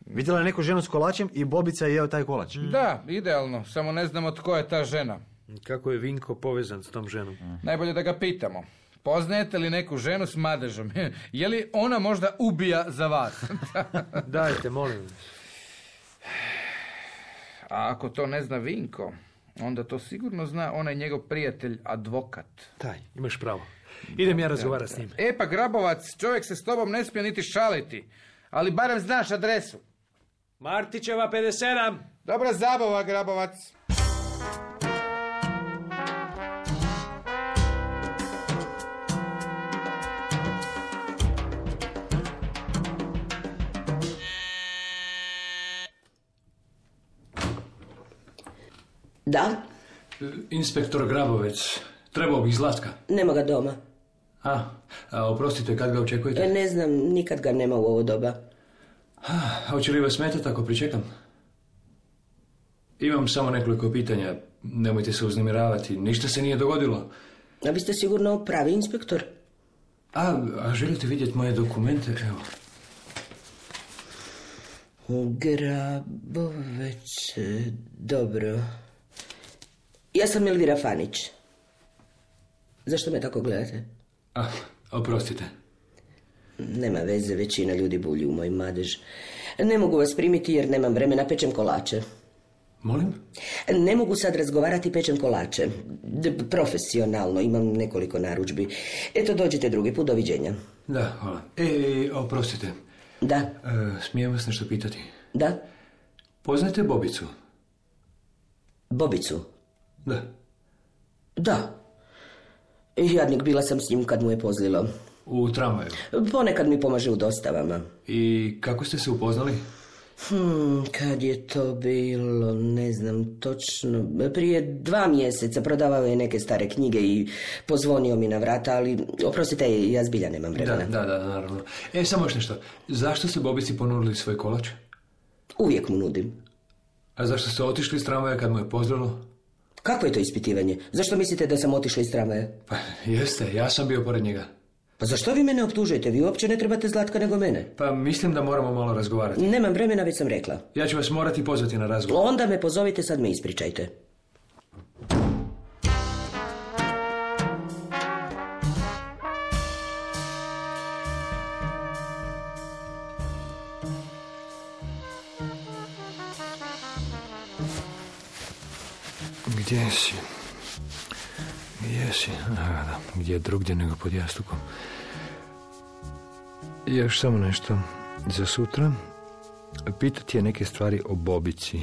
Vidjela je neku ženu s kolačem i Bobica je jeo taj kolač. Mm. Da, idealno, samo ne znamo tko je ta žena. Kako je Vinko povezan s tom ženom? Mm. Najbolje da ga pitamo. Poznajete li neku ženu s madežom? Je li ona možda ubija za vas? Dajte, molim vas. A ako to ne zna Vinko, onda to sigurno zna onaj njegov prijatelj, advokat. Taj, imaš pravo. Idem ja razgovarati s njim. E pa Grabovac, čovjek se s tobom ne smije niti šaliti. Ali barem znaš adresu. Martićeva pedeset sedam. Dobra zabava, Grabovac. Da? Inspektor Grabovec. Trebao bih Zlatka. Nema ga doma. A, a oprostite, kad ga očekujete? Ne znam, nikad ga nema u ovo doba. A, hoće li vas smetati ako pričekam? Imam samo nekoliko pitanja. Nemojte se uznemiravati. Ništa se nije dogodilo. A vi ste sigurno pravi inspektor? A, a želite vidjeti moje dokumente? Evo. Grabovec, dobro. Ja sam Elvira Fanić. Zašto me tako gledate? A, oprostite. Nema veze, većina ljudi bulji u moj madež. Ne mogu vas primiti jer nemam vremena, pečem kolače. Molim? Ne mogu sad razgovarati, pečem kolače. D- profesionalno, imam nekoliko narudžbi. Eto, dođite drugi put, doviđenja. Da, hvala. E, oprostite. Da. E, smijem vas nešto pitati? Da. Poznajete Bobicu? Bobicu? Da. Da. Jadnik, bila sam s njim kad mu je pozlilo. U tramvaju? Ponekad mi pomaže u dostavama. I kako ste se upoznali? Hmm, kad je to bilo, ne znam točno, prije dva mjeseca. Prodavao je neke stare knjige i pozvonio mi na vrata, ali oprostite, ja zbilja nemam vremena. Da, da, da, naravno. E, samo još nešto. Zašto ste Bobici ponudili svoj kolač? Uvijek mu nudim. A zašto ste otišli iz tramvaja kad mu je pozlilo? Kakvo je to ispitivanje? Zašto mislite da sam otišla iz tramvaja? Pa, jeste, ja sam bio pored njega. Pa zašto vi mene optužujete? Vi uopće ne trebate Zlatka nego mene. Pa mislim da moramo malo razgovarati. Nemam vremena, već sam rekla. Ja ću vas morati pozvati na razgovor. Onda me pozovite, sad me ispričajte. Gdje si? Gdje si? A, da, gdje drugdje nego pod jastukom. Još samo nešto za sutra. Pitati je neke stvari o Bobici.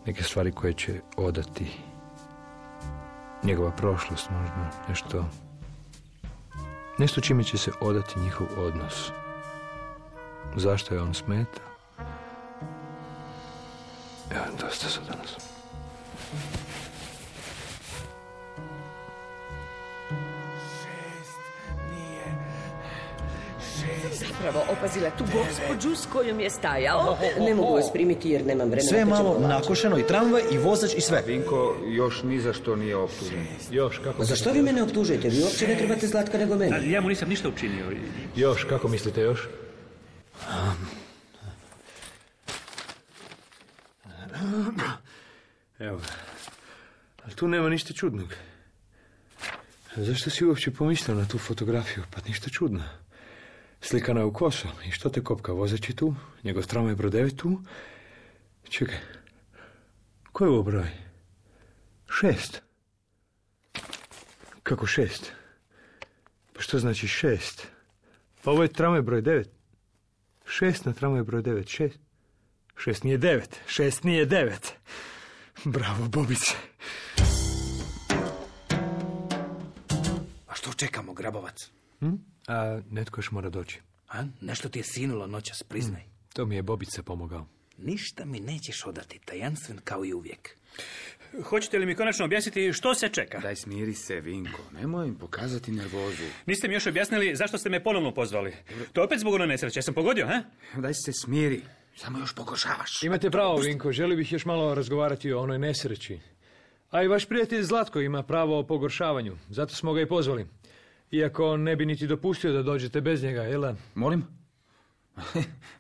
Neke stvari koje će odati. Njegova prošlost možda. Nešto... Nešto čime će se odati njihov odnos. Zašto je on smeta? Evo, dosta za danas. Zapravo opazila tu gospođu s kojom je stajao. Ne mogu vas primiti jer nemam vremena. Sve je malo nakošeno, i tramvaj, i vozač, i sve. Vinko još ni za što nije optužen. Još, kako... Zašto vi mene optužujete? Vi uopće ne trebate Zlatka nego mene. Ja mu nisam ništa učinio. Još, kako mislite još? Evo ga. Ali tu nema ništa čudnog. Zašto si uopće pomislio na tu fotografiju? Pa ništa čudno. Slikana je u koso. I što te kopka? Vozač je tu, njegov tramvaj broj devet tu. Čekaj, koji je ovo broj? Šest. Kako šest? Pa što znači šest? Pa ovo je tramvaj broj devet. Šest na tramvaj broj devet. Šest. Šest nije devet. Šest nije devet. Bravo, Bobice. A što čekamo, Grabovac? Hm? A netko još mora doći. A? Nešto ti je sinulo noćas, priznaj. Hm. To mi je Bobica pomogao. Ništa mi nećeš odati, tajanstven kao i uvijek. Hoćete li mi konačno objasniti što se čeka? Daj, smiri se, Vinko. Nemoj im pokazati nervozu. Niste mi još objasnili zašto ste me ponovno pozvali. To je opet zbog ono nesreće. Ja sam pogodio, ha? Daj se smiri. Samo još pogoršavaš. Imate pravo, Vinko. Želio bih još malo razgovarati o onoj nesreći. A i vaš prijatelj Zlatko ima pravo o pogoršavanju. Zato smo ga i pozvali. Iako ne bi niti dopustio da dođete bez njega, jel da? Molim?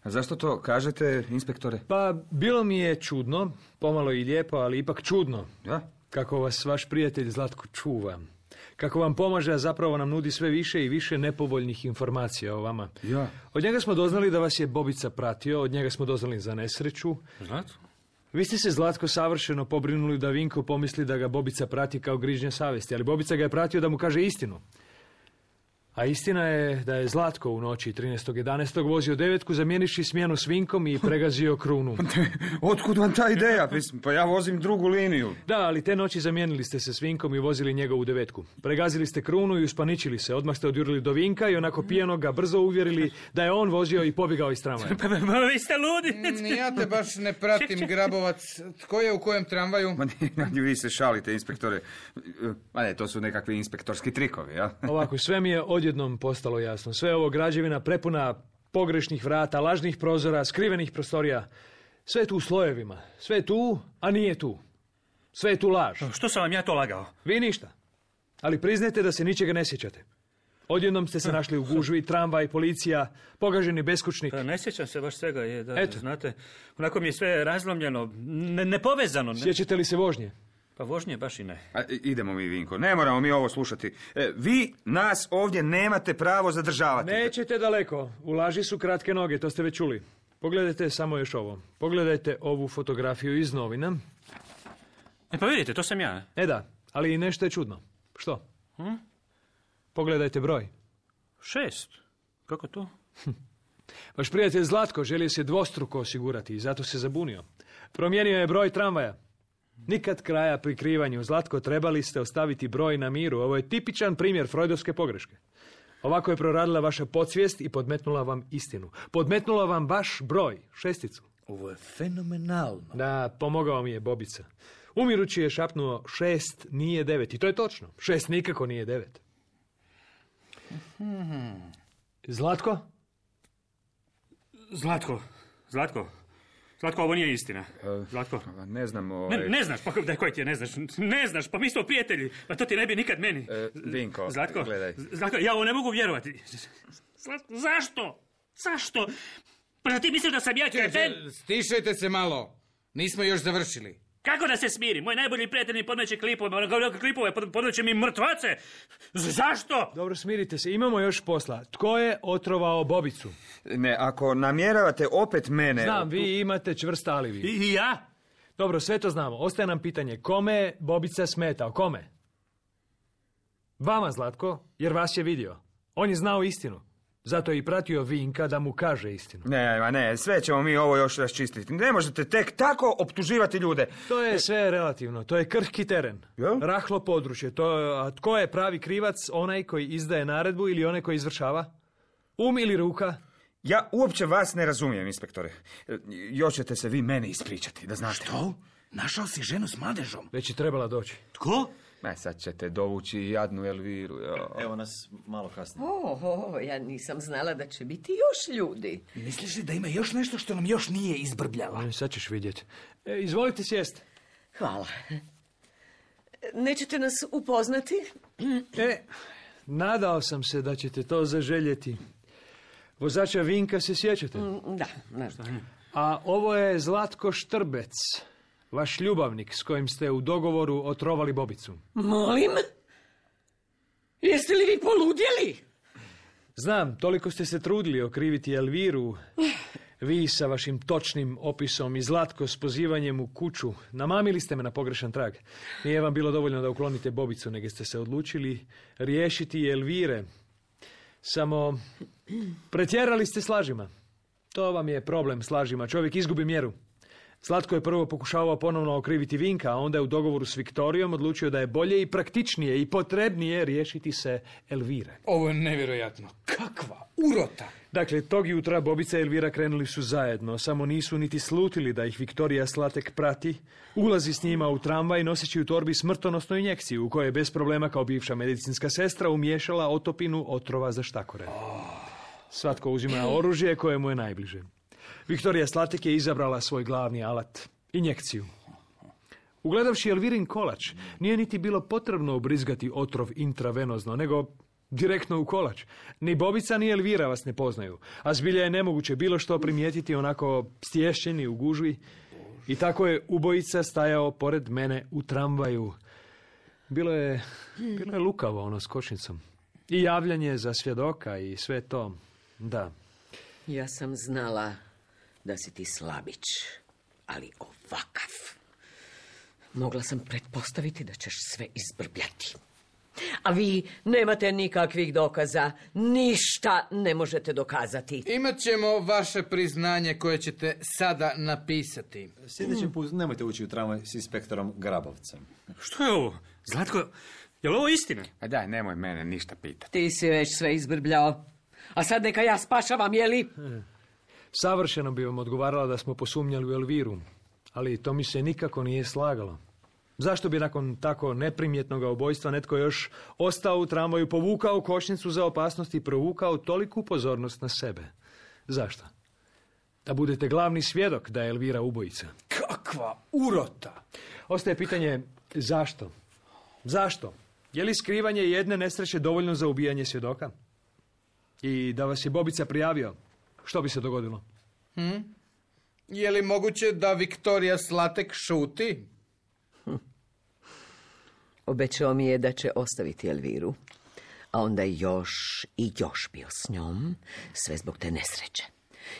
A zašto to kažete, inspektore? Pa, bilo mi je čudno, pomalo i lijepo, ali ipak čudno. Ja? Kako vas vaš prijatelj Zlatko čuva. Kako vam pomaže, a zapravo nam nudi sve više i više nepovoljnih informacija o vama. Ja. Od njega smo doznali da vas je Bobica pratio, od njega smo doznali za nesreću. Zlatko? Vi ste se, Zlatko, savršeno pobrinuli da Vinko pomisli da ga Bobica prati kao grižnja savjesti, ali Bobica ga je pratio da mu kaže istinu. A istina je da je Zlatko u noći trinaestog jedanaestog vozio devetku, zamjeniši smjenu s Vinkom i pregazio Krunu. Otkud vam ta ideja? Pa ja vozim drugu liniju. Da, ali te noći zamijenili ste se s Vinkom i vozili njegovu devetku. Pregazili ste Krunu i uspaničili se. Odmah ste odjurili do Vinka i onako pijano ga brzo uvjerili da je on vozio i pobjegao iz tramvaja. Pa, pa vi ste ludi. Ja te baš ne pratim, Grabovac. Tko je u kojem tramvaju? Ma ne, vi se šalite, inspektore. Ma ne, to su nekakvi inspektorski trikovi, ja? Ovako, sve mi je odjednom postalo jasno. Sve ovo građevina prepuna pogrešnih vrata, lažnih prozora, skrivenih prostorija. Sve je tu u slojevima. Sve je tu, a nije tu. Sve je tu laž. Što sam vam ja to lagao? Vi ništa. Ali priznajte da se ničega ne sjećate. Odjednom ste se našli u gužvi, tramvaj, policija, pogaženi beskućnik. Pa ne sjećam se baš svega, je, da, Eto. znate. Onako mi je sve razlomljeno, ne, nepovezano. Ne? Sjećate li se vožnje? Pa vožnje baš i ne. A, idemo mi, Vinko, ne moramo mi ovo slušati. E, vi nas ovdje nemate pravo zadržavati. Nećete daleko. U laži su kratke noge, to ste već čuli. Pogledajte samo još ovo. Pogledajte ovu fotografiju iz novina. E pa vidite, to sam ja. E da, ali i nešto je čudno. Što? Hm? Pogledajte broj. Šest. Kako to? Vaš prijatelj Zlatko želio se dvostruko osigurati i zato se zabunio. Promijenio je broj tramvaja. Nikad kraja prikrivanju. Zlatko, trebali ste ostaviti broj na miru. Ovo je tipičan primjer freudovske pogreške. Ovako je proradila vaša podsvijest i podmetnula vam istinu. Podmetnula vam baš broj, šesticu. Ovo je fenomenalno. Da, pomogao mi je Bobica. Umirući je šapnuo šest nije devet. I to je točno. Šest nikako nije devet. Zlatko? Zlatko, Zlatko. Zlatko, ovo nije istina. Zlatko. Ne znam, ovaj... Ne, ne znaš, pa daj, koji ti je, ne znaš. Ne znaš, pa mi smo prijatelji. Pa to ti ne bi nikad meni. E, Vinko, Zlatko, gledaj. Zlatko, ja ovo ne mogu vjerovati. Zlatko, zašto? Zašto? Pa ti misliš da sam ja kreten? Stišajte se malo. Nismo još završili. Kako da se smiri? Moj najbolji prijatelj mi podmeće klipove, klipove podmeće mi mrtvace. Zašto? Dobro, smirite se. Imamo još posla. Tko je otrovao Bobicu? Ne, ako namjeravate opet mene... Znam, vi imate čvrst alibi. I, I ja? Dobro, sve to znamo. Ostaje nam pitanje. Kome je Bobica smetao? Kome? Vama, Zlatko, jer vas je vidio. On je znao istinu. Zato je i pratio Vinka da mu kaže istinu. Ne, ma ne, sve ćemo mi ovo još raščistiti. Ne možete tek tako optuživati ljude. To je sve relativno. To je krhki teren. Ja? Rahlo područje. To, a tko je pravi krivac? Onaj koji izdaje naredbu ili onaj koji izvršava? Um ili ruka? Ja uopće vas ne razumijem, inspektore. Još ćete se vi mene ispričati, da znate. Što? Našao si ženu s mladežom? Već je trebala doći. Tko? Ne, sad ćete dovući jadnu Elviru. Jo. Evo nas malo kasnije. O, o, ja nisam znala da će biti još ljudi. Misliš li da ima još nešto što nam još nije izbrbljala? Sad ćeš vidjeti. E, izvolite sjest. Hvala. Nećete nas upoznati? E, nadao sam se da ćete to zaželjeti. Vozača Vinka se sjećate? Da, da. A ovo je Zlatko Štrbec, vaš ljubavnik s kojim ste u dogovoru otrovali Bobicu. Molim? Jeste li vi poludjeli? Znam, toliko ste se trudili okriviti Elviru. Vi sa vašim točnim opisom i Zlatko s pozivanjem u kuću. Namamili ste me na pogrešan trag. Nije vam bilo dovoljno da uklonite Bobicu, nego ste se odlučili riješiti Elvire. Samo pretjerali ste s lažima. To vam je problem s lažima. Čovjek izgubi mjeru. Zlatko je prvo pokušavao ponovno okriviti Vinka, a onda je u dogovoru s Viktorijom odlučio da je bolje i praktičnije i potrebnije riješiti se Elvire. Ovo je nevjerojatno. Kakva urota! Dakle, tog jutra Bobica i Elvira krenuli su zajedno, samo nisu niti slutili da ih Viktorija Slatek prati, ulazi s njima u tramvaj noseći u torbi smrtonosnu injekciju u kojoj je bez problema kao bivša medicinska sestra umiješala otopinu otrova za štakore. Svatko uzima oružje koje mu je najbliže. Viktorija Slatek je izabrala svoj glavni alat, injekciju. Ugledavši Elvirin kolač, nije niti bilo potrebno ubrizgati otrov intravenozno, nego direktno u kolač. Ni Bobica ni Elvira vas ne poznaju, a zbilja je nemoguće bilo što primijetiti onako stješćeni u gužvi. I tako je ubojica stajao pored mene u tramvaju. Bilo je, bilo je lukavo ono s kočnicom. I javljanje za svjedoka i sve to, da. Ja sam znala da si ti slabić, ali ovakav. Mogla sam pretpostaviti da ćeš sve izbrbljati. A vi nemate nikakvih dokaza, ništa ne možete dokazati. Imat ćemo vaše priznanje koje ćete sada napisati. Sljedeći put nemojte ući u tramvaj s inspektorom Grabovcem. Što je ovo? Zlatko, je li ovo istina? A daj, nemoj mene ništa pitati. Ti si već sve izbrbljao. A sad neka ja spašavam, jeli? Savršeno bi vam odgovarala da smo posumnjali u Elviru, ali to mi se nikako nije slagalo. Zašto bi nakon tako neprimjetnog ubojstva netko još ostao u tramvaju, povukao kočnicu za opasnost i provukao toliku pozornost na sebe? Zašto? Da budete glavni svjedok da je Elvira ubojica. Kakva urota! Ostaje pitanje zašto? Zašto? Je li skrivanje jedne nesreće dovoljno za ubijanje svjedoka? I da vas je Bobica prijavio, što bi se dogodilo? Hmm? Je li moguće da Viktorija Slatek šuti? Hm. Obećao mi je da će ostaviti Elviru, a onda još i još bio s njom, sve zbog te nesreće.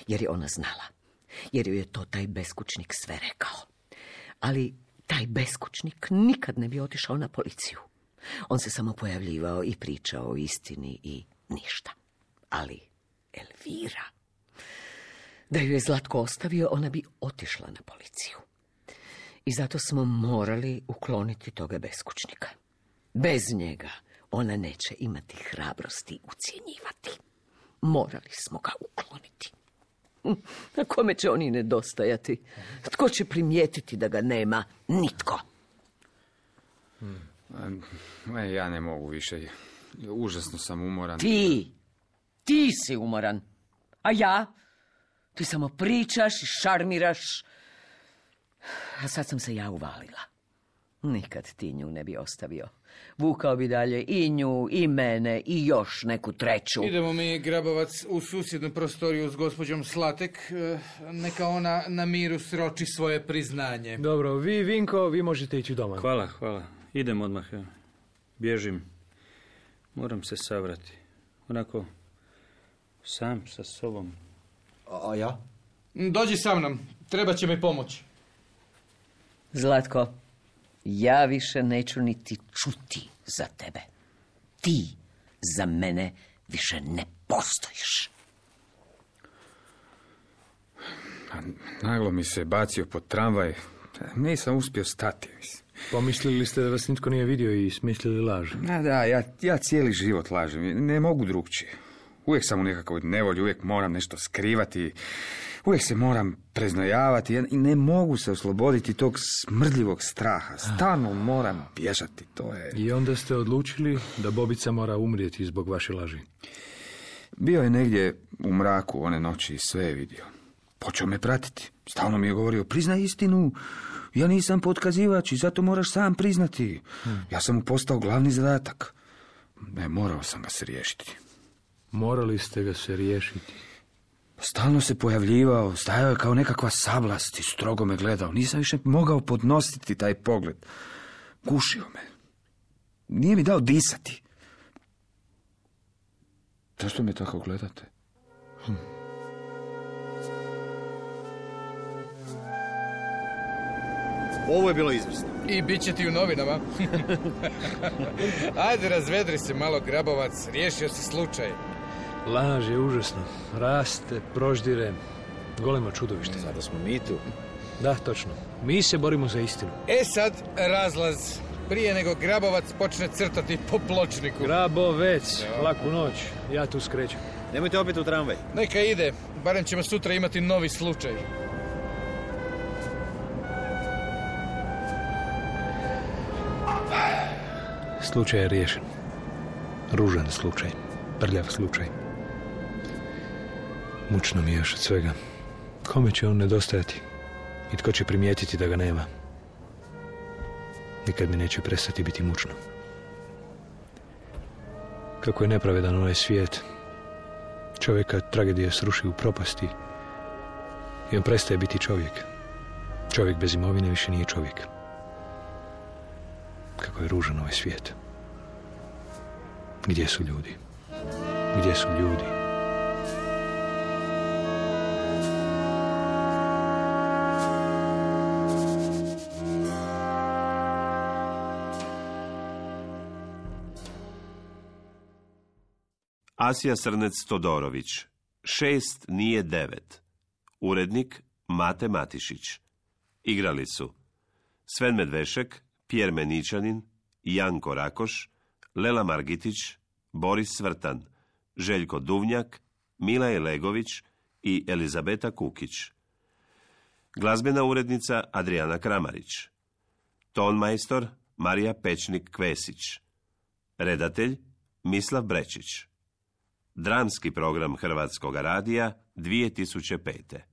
Jer je ona znala, jer ju je to taj beskućnik sve rekao. Ali taj beskućnik nikad ne bi otišao na policiju. On se samo pojavljivao i pričao o istini i ništa. Ali Elvira, da ju je Zlatko ostavio, ona bi otišla na policiju. I zato smo morali ukloniti toga beskućnika. Bez njega ona neće imati hrabrosti ucjenjivati. Morali smo ga ukloniti. Na kome će oni nedostajati? Tko će primijetiti da ga nema? Nitko. Hmm. Ja ne mogu više. Užasno sam umoran. Ti! Ti si umoran. A ja? Ti samo pričaš i šarmiraš. A sad sam se ja uvalila. Nikad ti nju ne bi ostavio. Vukao bi dalje i nju, i mene, i još neku treću. Idemo mi, Grabovac, u susjednu prostoriju s gospođom Slatek. Neka ona na miru sroči svoje priznanje. Dobro, vi, Vinko, vi možete ići doma. Hvala, hvala. Idem odmah. Ja. Bježim. Moram se savrati. Onako, sam sa sobom. A, a ja? Dođi sa mnom. Treba će mi pomoći. Zlatko, ja više neću niti čuti za tebe. Ti za mene više ne postojiš. Naglo mi se bacio pod tramvaj. Nisam uspio stati. Pomislili ste da vas nitko nije vidio i smislili laž? Da, da, ja, ja cijeli život lažem. Ne mogu drugčije. Uvijek sam u nekakvoj nevolji, uvijek moram nešto skrivati. Uvijek se moram preznojavati i ne mogu se osloboditi tog smrdljivog straha. Stalno moram bježati, to je... I onda ste odlučili da Bobica mora umrijeti zbog vaše laži. Bio je negdje u mraku one noći i sve je vidio. Počeo me pratiti. Stalno mi je govorio, priznaj istinu, ja nisam potkazivač i zato moraš sam priznati. Hmm. Ja sam mu postao glavni zadatak. Ne, morao sam ga se riješiti. Morali ste ga se riješiti. Stalno se pojavljivao, stajao je kao nekakva sablast i strogo me gledao. Nisam više mogao podnositi taj pogled. Gušio me. Nije mi dao disati. Zašto me tako gledate? Hm. Ovo je bilo izvrsno. I bit će ti u novinama. Ajde, razvedri se malo, Grabovac. Riješio si slučaj. Laž je užasno. Raste, proždire. Golemo čudovište. Zato smo mi tu. Da, točno. Mi se borimo za istinu. E sad, razlaz. Prije nego Grabovac počne crtati po pločniku. Grabovec, laku noć. Ja tu skrećem. Nemojte opet u tramvaj. Neka ide. Barem ćemo sutra imati novi slučaj. Slučaj je riješen. Ružan slučaj. Prljav slučaj. Mučno mi je još od svega. Kome će on nedostajati? I tko će primijetiti da ga nema? Nikad mi neće prestati biti mučno. Kako je nepravedan ovaj svijet. Čovjeka tragedija sruši u propasti i on prestaje biti čovjek. Čovjek bez imovine više nije čovjek. Kako je ružan ovaj svijet. Gdje su ljudi? Gdje su ljudi? Asija Srnec Todorović. Šest nije devet. Urednik Mate Matišić. Igrali su Sven Medvešek, Pjer Meničanin, Janko Rakoš, Lela Margitić, Boris Svrtan, Željko Duvnjak, Milaj Legović i Elizabeta Kukić. Glazbena urednica Adriana Kramarić. Tonmajstor Marija Pečnik-Kvesić. Redatelj Mislav Brečić. Dramski program Hrvatskog radija dvije tisuće pete.